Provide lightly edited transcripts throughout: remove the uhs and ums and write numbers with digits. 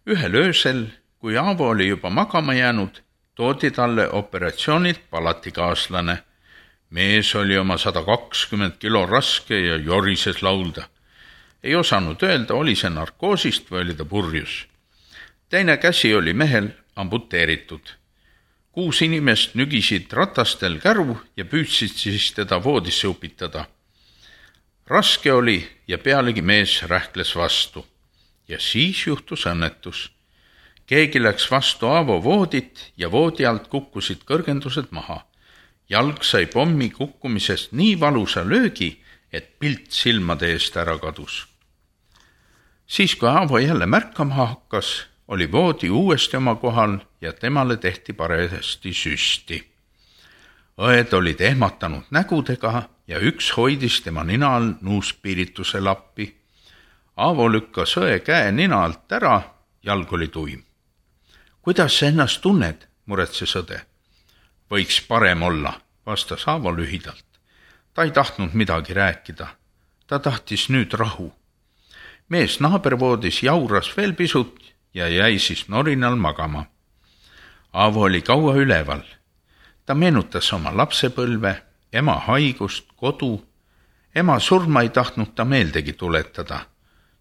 Ühel öösel, kui Aavo oli juba magama jäänud, toodi talle operatsioonilt palatikaaslane. Mees oli oma 120 kilo raske ja jorises laulda. Ei osanud öelda, oli see narkoosist või oli ta purjus. Teine käsi oli mehel amputeeritud. 6 inimest nügisid ratastel käru ja püüdsid siis teda voodisse upitada. Raske oli ja pealegi mees rähkles vastu. Ja siis juhtus õnnetus. Keegi läks vastu Aavo voodit ja voodi alt kukkusid kõrgendused maha. Jalg sai pommi kukkumisest nii valusa löögi, et pilt silmade eest ära kadus. Siis, kui Aavo jälle märkama hakkas, oli voodi uuesti oma kohal ja temale tehti parajasti süsti. Õed olid ehmatanud nägudega ja üks hoidis tema nina all nuuspiirituse lappi. Aavo lükkas õe käe nina alt ära, jalg oli tuim. Kuidas sa ennast tunned, muretses õde? Võiks parem olla, vastas Aavo lühidalt. Ta ei tahtnud midagi rääkida. Ta tahtis nüüd rahu. Mees naabervoodis jauras veel pisut ja jäi siis norinal magama. Aavo oli kaua üleval. Ta meenutas oma lapsepõlve, ema haigust, kodu. Ema surma ei tahtnud ta meeldegi tuletada,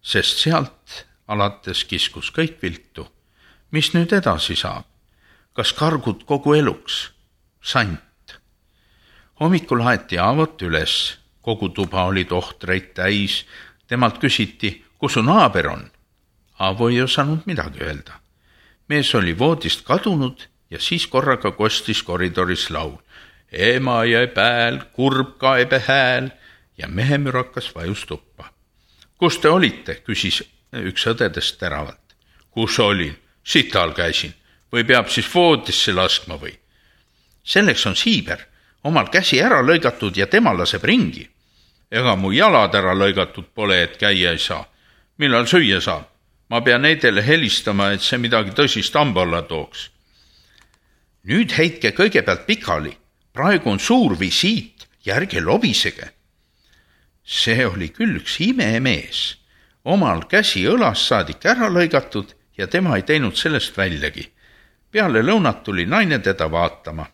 sest sealt alates kiskus kõik viltu. Mis nüüd edasi saab? Kas kargud kogu eluks? Sant. Hommikul haeti Aavot üles. Kogu tuba oli tohtreid täis. Temalt küsiti, kus su naaber on? Aavo ei osanud midagi öelda. Mees oli voodist kadunud ja siis korraga kostis koridoris laul. Ema jäi pääl, kurb kaebe hääl ja mehemürakas vajus tuppa. Kus te olite, küsis üks õdedest teravalt. Kus olin? Sital käisin. Või peab siis voodisse laskma või? Selleks on siiber. Omal käsi ära lõigatud ja tema laseb ringi. Ega mu jalad ära lõigatud pole, et käia ei saa. Millal süüa saab? Ma pean neidele helistama, et see midagi tõsist hamba alla tooks. Nüüd heitke kõigepealt pikali. Praegu on suur visiit ja ärge lobisege. See oli küll üks imemees. Omal käsi õlas saadik ära lõigatud ja tema ei teinud sellest väljagi. Peale lõunat tuli naine teda vaatama.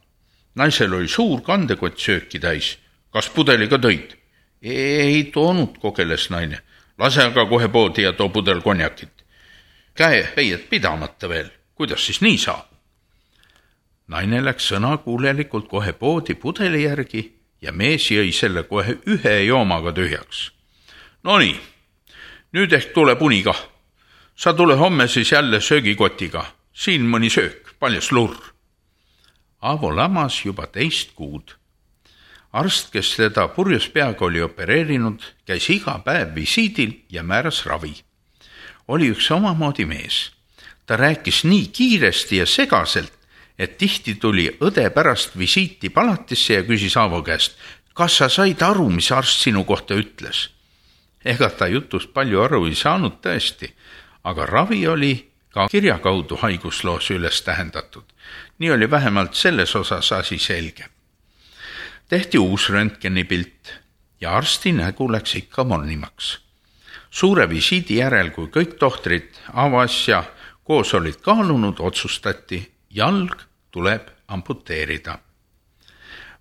Naisel oli suur kandekott sööki täis. Kas pudeliga tõid? Ei toonud, kogeles naine. Lase aga kohe poodi ja too pudel konjakit. Käe peiet pidamata veel. Kuidas siis nii saab? Naine läks sõnakuulelikult kohe poodi pudeli järgi ja mees jõi selle kohe ühe joomaga tühjaks. Nonii, nüüd ehk tuleb uni kah. Sa tule homme siis jälle söögikotiga. Siin mõni söök, paljas lurr. Aavo lamas juba 2 kuud. Arst, kes teda purjus peaga oli opereerinud, käis iga päev visiidil ja määras ravi. Oli üks omamoodi mees. Ta rääkis nii kiiresti ja segaselt, et tihti tuli õde pärast visiiti palatisse ja küsis Aavo käest, kas sa said aru, mis arst sinu kohta ütles? Ega ta jutust palju aru ei saanud tõesti, aga ravi oli ka kirja kaudu haigusloos üles tähendatud. Nii oli vähemalt selles osas asi selge. Tehti uus röntgenipilt ja arsti nägu läks ikka mornimaks. Suure visiidi järel, kui kõik tohtrid Aavo asja koos olid kaalunud, otsustati, jalg tuleb amputeerida.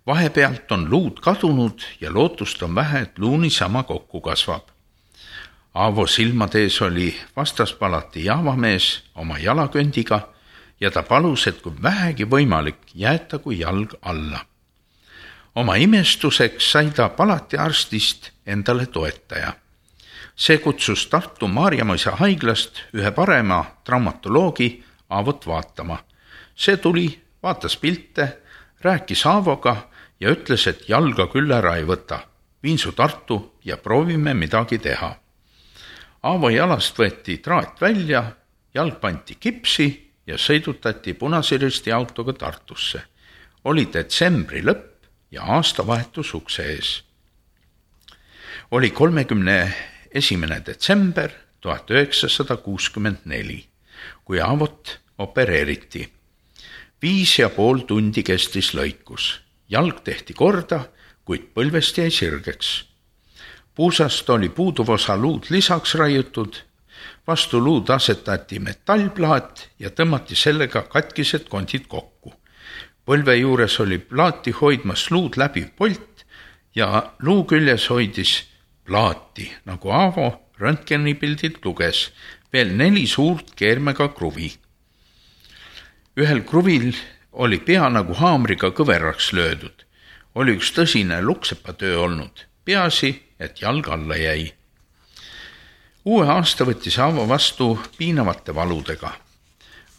Vahepealt on luud kadunud ja lootust on vähe, et luuni sama kokku kasvab. Aavo silmade ees oli vastaspalati jaavamees oma jalaköndiga ja ta palus, et kui vähegi võimalik, jäetagu jalg alla. Oma imestuseks sai ta palatiarstist endale toetaja. See kutsus Tartu Maarjamõisa haiglast ühe parema traumatoloogi Aavot vaatama. See tuli, vaatas pilte, rääkis Aavoga ja ütles, et jalga küll ära ei võta. Viin su Tartu ja proovime midagi teha. Aavo jalast võeti traat välja, jalg pandi kipsi ja sõidutati Punase Risti autoga Tartusse. Oli detsembri lõpp ja aastavahetus ukse ees. Oli 31. detsember 1964, kui Aavot opereeriti. 5,5 tundi kestis lõikus. Jalg tehti korda, kuid põlvest jäi sirgeks. Puusast oli puuduv osa luud lisaks raiutud Vastu luud asetati metallplaat ja tõmmati sellega katkised kondid kokku. Põlve juures oli plaati hoidmas luud läbi polt ja luu küljes hoidis plaati, nagu Aavo röntgenipildilt luges, veel 4 suurt keermega kruvi. Ühel kruvil oli pea nagu haamriga kõveraks löödud. Oli üks tõsine luksepatöö olnud, peaasi, et jalg alla jäi. Uue aasta võttis Aavo vastu piinavate valudega.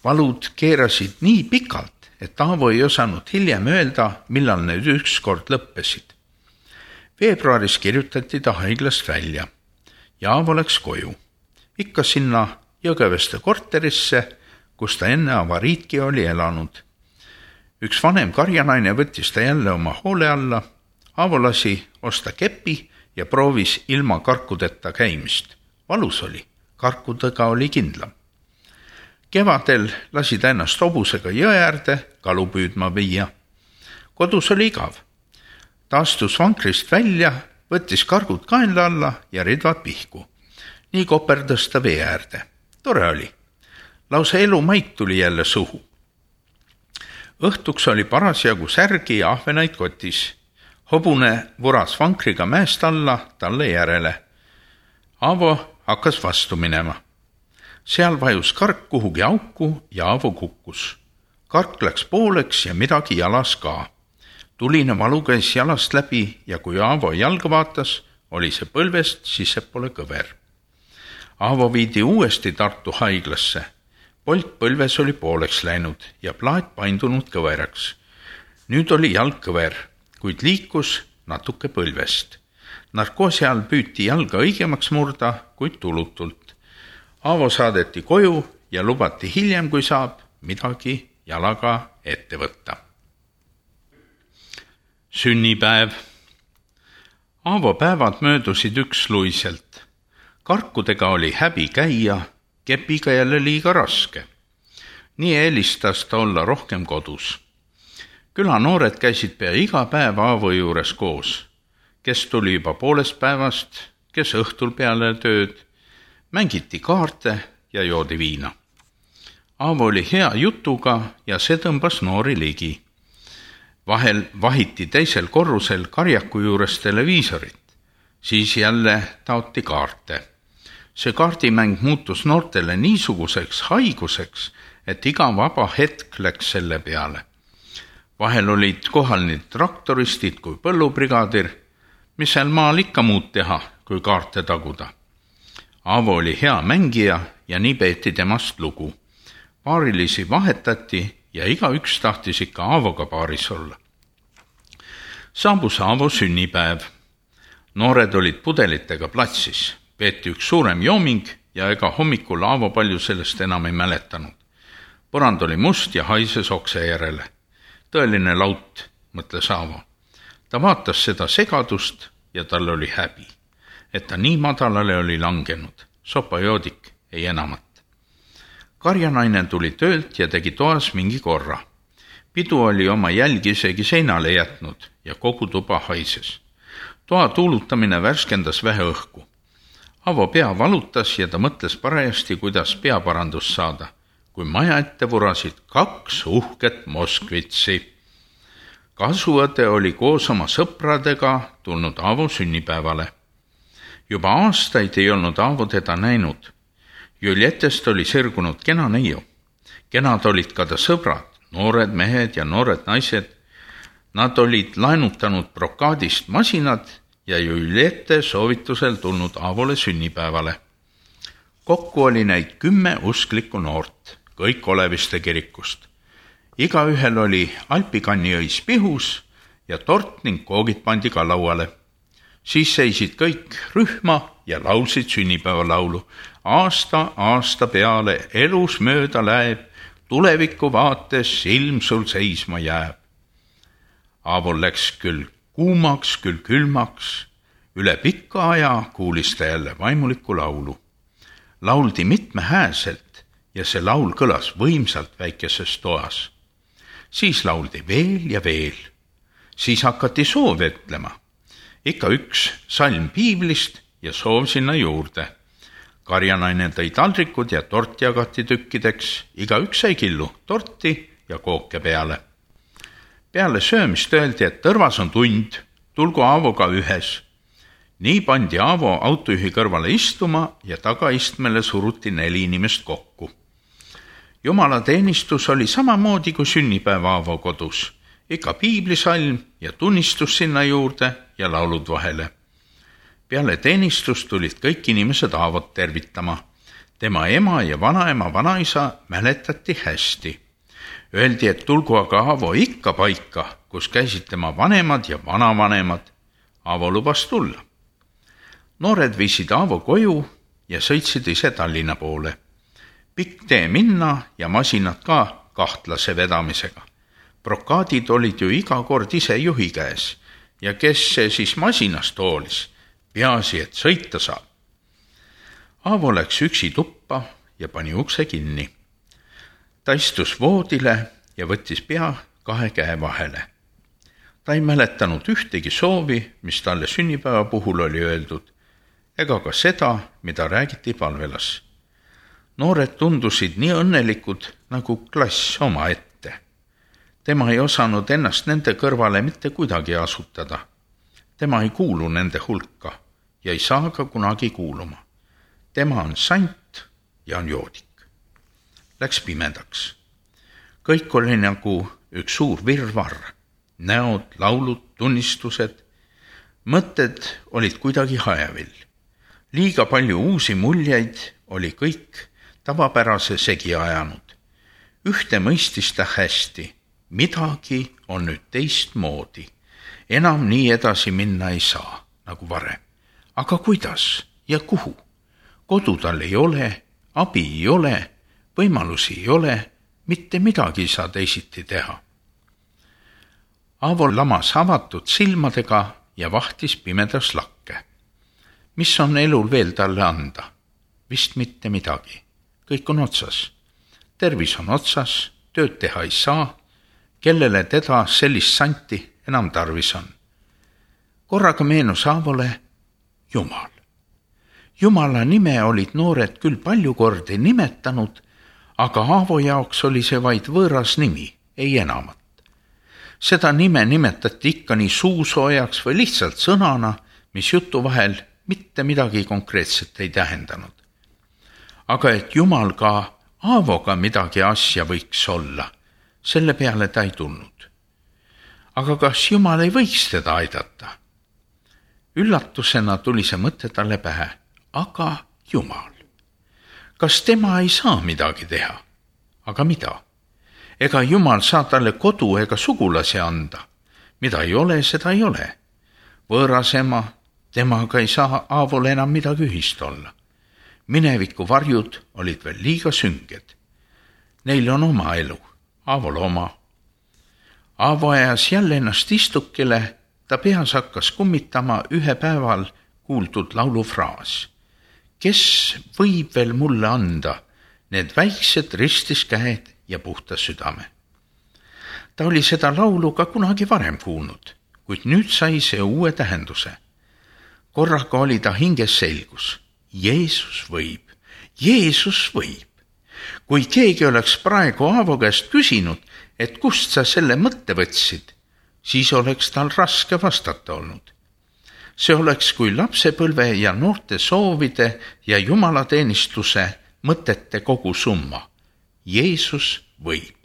Valud keerasid nii pikalt, et Aavo ei osanud hiljem öelda, millal need ükskord lõppesid. Veebruaris kirjutati ta haiglast välja ja Aavo läks koju. Ikka sinna Jõgeveste korterisse, kus ta enne avariidki oli elanud. Üks vanem karjanaine võttis ta jälle oma hoole alla. Aavo lasi osta kepi ja proovis ilma karkudeta käimist. Valus oli, karkudega oli kindlam. Kevadel lasi ta ennast hobusega jõe äärde kalu püüdma viia. Kodus oli igav. Ta astus vankrist välja, võttis kargud kaenla alla ja ridvad pihku. Nii koperdas ta vee äärde. Tore oli. Lausa elumaik tuli jälle suhu. Õhtuks oli parasjagu särgi ja ahvenaid kotis. Hobune vuras vankriga mäest alla talle järele. Aavo hakkas vastu minema. Seal vajus kark kuhugi auku ja Aavo kukkus. Kark läks pooleks ja midagi jalas ka. Tuline valu käis jalast läbi ja kui Aavo jalga vaatas, oli see põlvest sissepoole kõver. Aavo viidi uuesti Tartu haiglasse. Polt põlves oli pooleks läinud ja plaat paindunud kõveraks. Nüüd oli jalg kõver, kuid liikus natuke põlvest. Narkoosi all püüti jalga õigemaks murda, kuid tulutult. Aavo saadeti koju ja lubati hiljem, kui saab, midagi jalaga ette võtta. Sünnipäev. Aavo päevad möödusid üksluiselt. Karkudega oli häbi käia, kepiga jälle liiga raske. Nii eelistas ta olla rohkem kodus. Külanoored käisid pea iga päev Aavo juures koos. Kes tuli juba poolest päevast, kes õhtul peale tööd. Mängiti kaarte ja joodi viina. Aavo oli hea jutuga ja see tõmbas noori ligi. Vahel vahiti teisel korrusel karjaku juures televiisorit. Siis jälle taoti kaarte. See kaardimäng muutus noortele niisuguseks haiguseks, et iga vaba hetk läks selle peale. Vahel olid kohal nii traktoristid kui põllubrigaadir, mis seal maal ikka muud teha, kui kaarte taguda. Aavo oli hea mängija ja nii peeti temast lugu. Paarilisi vahetati ja igaüks tahtis ikka Aavoga paaris olla. Saabus Aavo sünnipäev. Noored olid pudelitega platsis. Peeti üks suurem jooming ja ega hommikul Aavo palju sellest enam ei mäletanud. Põrand oli must ja haises okse järele. Tõeline laut, mõtles Aavo. Ta vaatas seda segadust ja tal oli häbi, et ta nii madalale oli langenud. Sopajoodik ei enamat. Karjanaine tuli töölt ja tegi toas mingi korra. Pidu oli oma jälgi isegi seinale jätnud ja kogu tuba haises. Toa tuulutamine värskendas vähe õhku. Aavo pea valutas ja ta mõtles parajasti, kuidas peaparandust saada, kui maja ette vurasid 2 uhket Moskvitsi. Kasuõde oli koos oma sõpradega tulnud Aavo sünnipäevale. Juba aastaid ei olnud Aavo teda näinud. Juljetest oli sirgunud kena neiu. Kenad olid ka ta sõbrad, noored mehed ja noored naised. Nad olid laenutanud brokaadist masinad ja Juljette soovitusel tulnud Aavole sünnipäevale. Kokku oli neid 10 usklikku noort, kõik Oleviste kirikust. Igaühel oli alpikanniõis pihus ja tort ning koogid pandi ka lauale. Siis seisid kõik rühma ja laulsid sünnipäevalaulu. Aasta peale elus mööda läheb, tuleviku vaates silm sul seisma jääb. Aavol läks küll kuumaks, küll külmaks. Üle pikka aja kuulis ta jälle vaimulikku laulu. Lauldi mitmehääselt ja see laul kõlas võimsalt väikeses toas. Siis lauldi veel ja veel. Siis hakati soove ütlema. Ikka üks salm piiblist ja soov sinna juurde. karjanaine tõi taldrikud ja tort jagati tükkideks, igaüks sai killu torti ja kooke peale. Peale söömist öeldi, et tõrvas on tund, tulgu Aavoga ühes. Nii pandi Aavo autojuhi kõrvale istuma ja tagaistmele suruti 4 inimest kokku. Jumala teenistus oli samamoodi kui sünnipäev Aavo kodus, ikka piiblisalm ja tunnistus sinna juurde ja laulud vahele. Peale teenistust tulid kõik inimesed Aavot tervitama. Tema ema ja vanaema vanaisa mäletati hästi. Öeldi, et tulgu aga Aavo ikka paika, kus käisid tema vanemad ja vanavanemad. Aavo lubas tulla. Noored viisid Aavo koju ja sõitsid ise Tallinna poole. Pikk tee minna ja masinad ka kahtlase vedamisega. Brokaadid olid ju iga kord ise juhi käes ja kes see siis masinast hoolis, peaasi, et sõita saab. Aavo läks üksi tuppa ja pani ukse kinni. Ta istus voodile ja võttis pea 2 käe vahele. Ta ei mäletanud ühtegi soovi, mis talle sünnipäeva puhul oli öeldud, ega ka seda, mida räägiti palvelas. Noored tundusid nii õnnelikud nagu klass oma ette. Tema ei osanud ennast nende kõrvale mitte kuidagi asutada. Tema ei kuulu nende hulka ja ei saa ka kunagi kuuluma. Tema on sant ja on joodik. Läks pimedaks. Kõik oli nagu üks suur virvarr. Näod, laulud, tunnistused. Mõtted olid kuidagi hajevil. Liiga palju uusi muljeid oli kõik tavapärase segi ajanud. Ühte mõistis ta hästi. Midagi on nüüd teistmoodi. Enam nii edasi minna ei saa, nagu varem. Aga kuidas ja kuhu? Kodu tal ei ole, abi ei ole, võimalusi ei ole, mitte midagi ei saa teisiti teha. Aavo lamas avatud silmadega ja vahtis pimedas lakke. Mis on elul veel talle anda? Vist mitte midagi. Kõik on otsas. Tervis on otsas, tööd teha ei saa, kellele teda sellist santi enam tarvis on. Korraga meenus Aavole Jumal. Jumala nime olid noored küll palju kordi nimetanud, aga Aavo jaoks oli see vaid võõras nimi, ei enamat. Seda nime nimetati ikka nii suusoojaks või lihtsalt sõnana, mis jutu vahel mitte midagi konkreetset ei tähendanud. Aga et Jumal ka Aavoga midagi asja võiks olla, selle peale ta ei tulnud. Aga kas Jumal ei võiks teda aidata? Üllatusena tuli see mõte talle pähe. Aga Jumal. Kas tema ei saa midagi teha? Aga mida? Ega Jumal saa talle kodu ega sugulasi anda. Mida ei ole, seda ei ole. Võõras ema, temaga ei saa Aavole enam midagi ühist olla. Mineviku varjud olid veel liiga sünged. Neil on oma elu, Aavol oma. Aavo ajas jälle ennast istukile, ta peas hakkas kummitama ühe päeval kuuldud laulufraas. Kes võib veel mulle anda need väiksed ristis käed ja puhta südame? Ta oli seda laulu ka kunagi varem kuulnud, kuid nüüd sai see uue tähenduse. Korraga oli ta hinges selgus. Jeesus võib, Jeesus võib. Kui keegi oleks praegu Aavo käest küsinud, et kust sa selle mõtte võtsid, siis oleks tal raske vastata olnud. See oleks kui lapsepõlve ja noorte soovide ja jumalateenistuse mõtete kogu summa. Jeesus võib.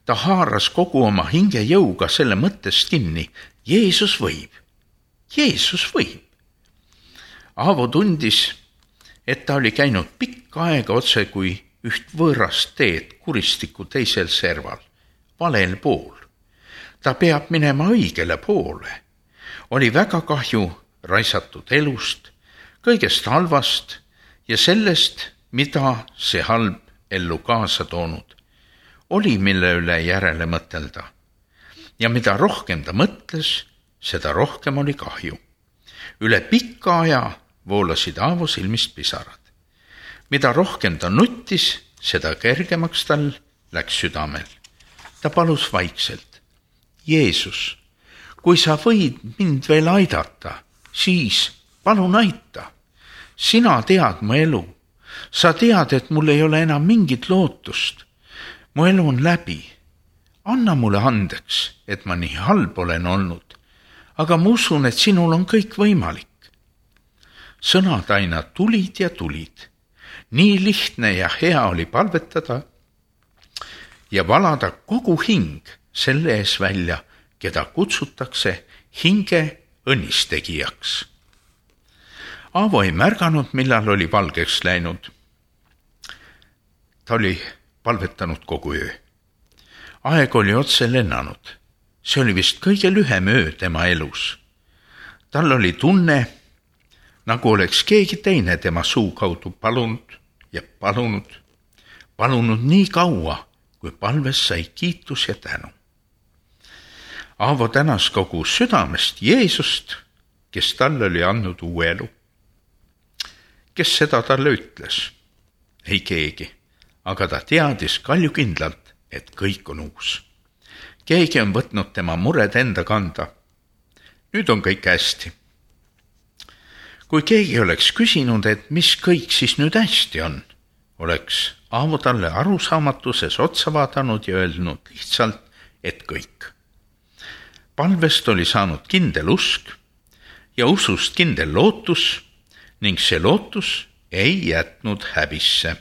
Ta haaras kogu oma hinge jõuga selle mõttest kinni. Jeesus võib. Jeesus võib. Aavo tundis, et ta oli käinud pikka aega otse kui üht võõrast teed kuristiku teisel serval, valel pool. Ta peab minema õigele poole. Oli väga kahju raisatud elust, kõigest halvast ja sellest, mida see halb ellu kaasa toonud. Oli mille üle järele mõtelda. Ja mida rohkem ta mõtles, seda rohkem oli kahju. Üle pika aja voolasid Aavo silmist pisarad. Mida rohkem ta nuttis, seda kergemaks tal läks südamel. Ta palus vaikselt. Jeesus, kui sa võid mind veel aidata, siis palun aita. sina tead mu elu. Sa tead, et mul ei ole enam mingit lootust. Mu elu on läbi. Anna mulle andeks, et ma nii halb olen olnud, aga ma usun, et sinul on kõik võimalik. Sõnad aina tulid ja tulid. Nii lihtne ja hea oli palvetada ja valada kogu hing selle ees välja, keda kutsutakse hinge õnnistegijaks. Aavo ei märganud, millal oli valgeks läinud. Ta oli palvetanud kogu öö. Aeg oli otse lennanud. See oli vist kõige lühem öö tema elus. Tal oli tunne, nagu oleks keegi teine tema suu kaudu palunud ja palunud nii kaua, kui palves sai kiitus ja tänu. Aavo tänas kogu südamest Jeesust, kes talle oli andnud uue elu. Kes seda talle ütles? Ei keegi, aga ta teadis kaljukindlalt, et kõik on uus. Keegi on võtnud tema mured enda kanda. Nüüd on kõik hästi. Kui keegi oleks küsinud, et mis kõik siis nüüd hästi on, oleks Aavo talle arusaamatuses otsa vaadanud ja öelnud lihtsalt, et kõik. Palvest oli saanud kindel usk ja usust kindel lootus ning see lootus ei jätnud häbisse.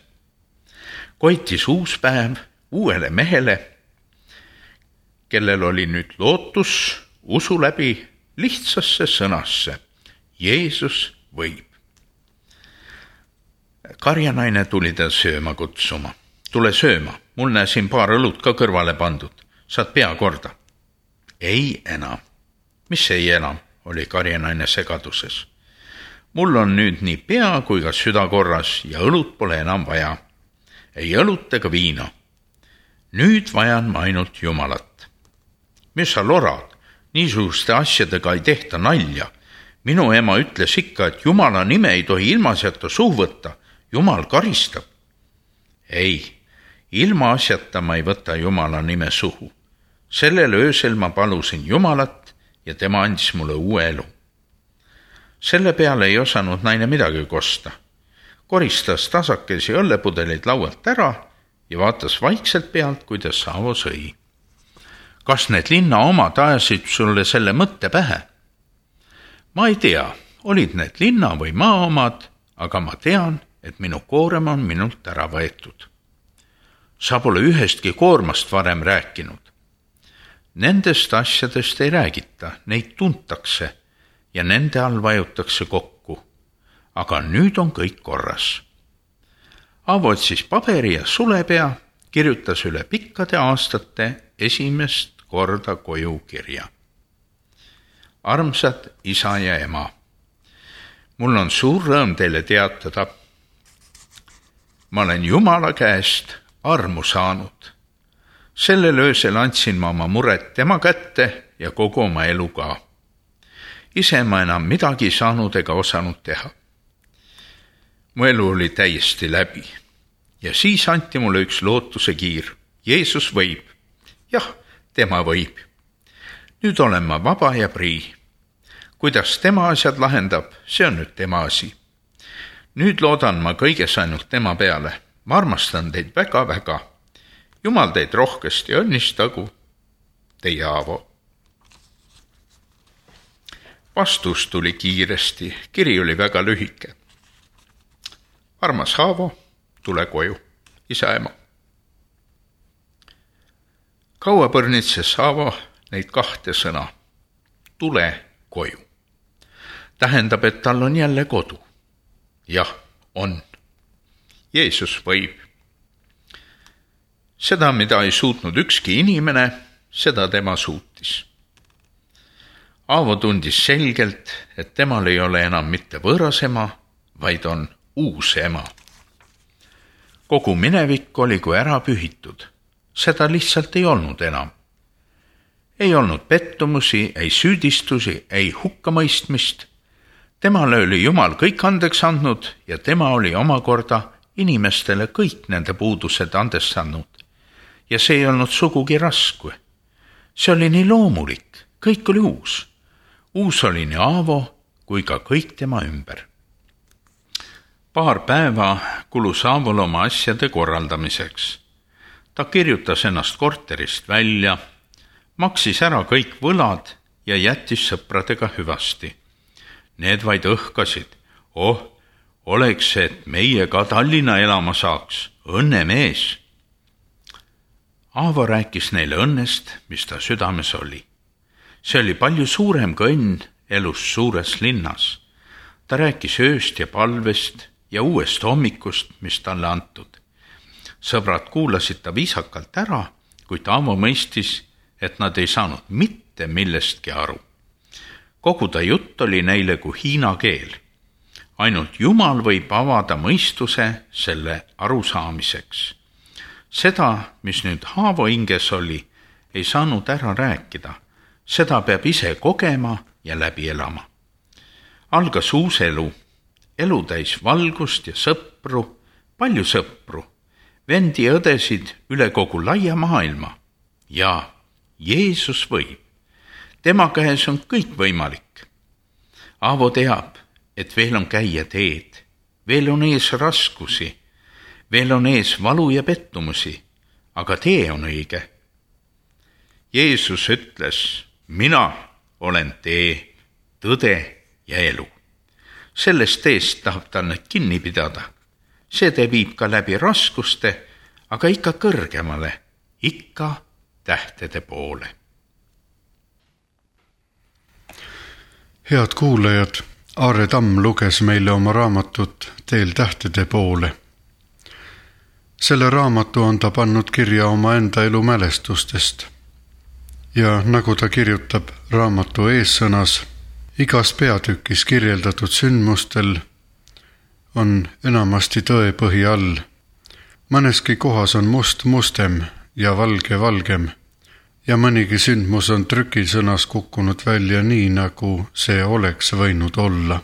Koitis uus päev uuele mehele, kellel oli nüüd lootus usu läbi lihtsasse sõnasse. Jeesus võib. Karjanaine tuli ta sööma kutsuma. Tule sööma, mul näe siin paar õlut ka kõrvale pandud. Saad pea korda. Ei enam. Mis ei enam, oli karjanaine segaduses. Mul on nüüd nii pea kui ka süda korras ja õlut pole enam vaja. Ei õlut ega viina. Nüüd vajan ma ainult Jumalat. Mis sa lorad? Niisuguste asjadega ei tehta nalja. Minu ema ütles ikka, et Jumala nime ei tohi ilmaasjata suhu võtta. Jumal karistab. Ei, ilmaasjata ma ei võta Jumala nime suhu. Sellel öösel ma palusin Jumalat ja tema andis mulle uue elu. Selle peale ei osanud naine midagi kosta. Koristas tasakesi õllepudeleid laualt ära ja vaatas vaikselt pealt, kuidas Aavo sõi. Kas need linna omad ajasid sulle selle mõtte pähe? Ma ei tea, olid need linna või maa omad, aga ma tean, et minu koorem on minult ära võetud. Sa pole ühestki koormast varem rääkinud. Nendest asjadest ei räägita, neid tuntakse ja nende all vajutakse kokku. Aga nüüd on kõik korras. Aavo otsis paberi ja sulepea, kirjutas üle pikkade aastate esimest korda koju kirja. Armsad isa ja ema, mul on suur rõõm teile teatada. Ma olen Jumala käest armu saanud. Sellel öösel andsin ma oma mured tema kätte ja kogu oma elu ka. Ise ma enam midagi saanud ega osanud teha. Mu elu oli täiesti läbi ja siis anti mulle üks lootuse kiir. Jeesus võib. Jah, tema võib. Nüüd olen ma vaba ja prii. Kuidas tema asjad lahendab, see on nüüd tema asi. Nüüd loodan ma kõiges ainult tema peale. Ma armastan teid väga-väga. Jumal teid rohkesti õnnistagu. Teie Aavo. Vastus tuli kiiresti. Kiri oli väga lühike. Armas Aavo, tule koju. Isa ema. Kaua põrnitses Aavo neid kahte sõna. Tule koju. Tähendab, et tal on jälle kodu. Jah, on. Jeesus võib. Seda, mida ei suutnud ükski inimene, seda tema suutis. Aavo tundis selgelt, et temal ei ole enam mitte võõras ema, vaid on uus ema. Kogu minevik oli kui ära pühitud. Seda lihtsalt ei olnud enam. Ei olnud pettumusi, ei süüdistusi, ei hukkamõistmist. Temale oli Jumal kõik andeks andnud ja tema oli omakorda inimestele kõik nende puudused andestanud. Ja see ei olnud sugugi raske. See oli nii loomulik, kõik oli uus. Uus oli nii Aavo kui ka kõik tema ümber. Paar päeva kulus Aavol oma asjade korraldamiseks. Ta kirjutas ennast korterist välja, maksis ära kõik võlad ja jättis sõpradega hüvasti. Need vaid õhkasid. Oleks, et meie ka Tallinna elama saaks, õnnemees. Aavo rääkis neile õnnest, mis ta südames oli. See oli palju suurem kui õnn elus suures linnas. Ta rääkis ööst ja palvest ja uuest hommikust, mis talle antud. Sõbrad kuulasid ta viisakalt ära, kuid Aavo mõistis, et nad ei saanud mitte millestki aru. Kogu ta jutt oli neile kui hiina keel. Ainult Jumal võib avada mõistuse selle arusaamiseks. Seda, mis nüüd Aavo hinges oli, ei saanud ära rääkida. Seda peab ise kogema ja läbi elama. Algas uus elu. Elu täis valgust ja sõpru, palju sõpru, vendi ja õdesid üle kogu laia maailma. Ja Jeesus võib. Tema käes on kõik võimalik. Aavo teab, et veel on käia teed, veel on ees raskusi, veel on ees valu ja pettumusi, aga tee on õige. Jeesus ütles, mina olen tee, tõde ja elu. Sellest teest tahab ta nüüd kinni pidada. See te viib ka läbi raskuste, aga ikka kõrgemale, ikka tähtede poole. Head kuulajad, Aare Tamm luges meile oma raamatut Teel tähtede poole. Selle raamatu on ta pannud kirja oma enda elu mälestustest. Ja nagu ta kirjutab raamatu eessõnas, igas peatükis kirjeldatud sündmustel on enamasti tõepõhi all. Mõneski kohas on must mustem ja valge valgem ja mõnigi sündmus on trükisõnas kukkunud välja nii, nagu see oleks võinud olla.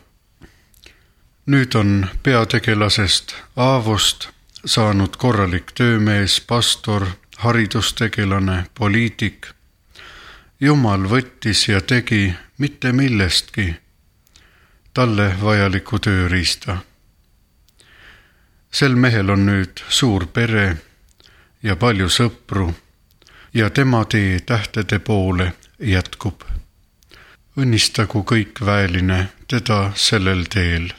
Nüüd on peategelasest Aavost saanud korralik töömees, pastor, haridustegelane, poliitik. Jumal võttis ja tegi mitte millestki talle vajaliku tööriista. Sel mehel on nüüd suur pere ja palju sõpru ja tema tee tähtede poole jätkub. Õnnistagu kõik väeline teda sellel teel.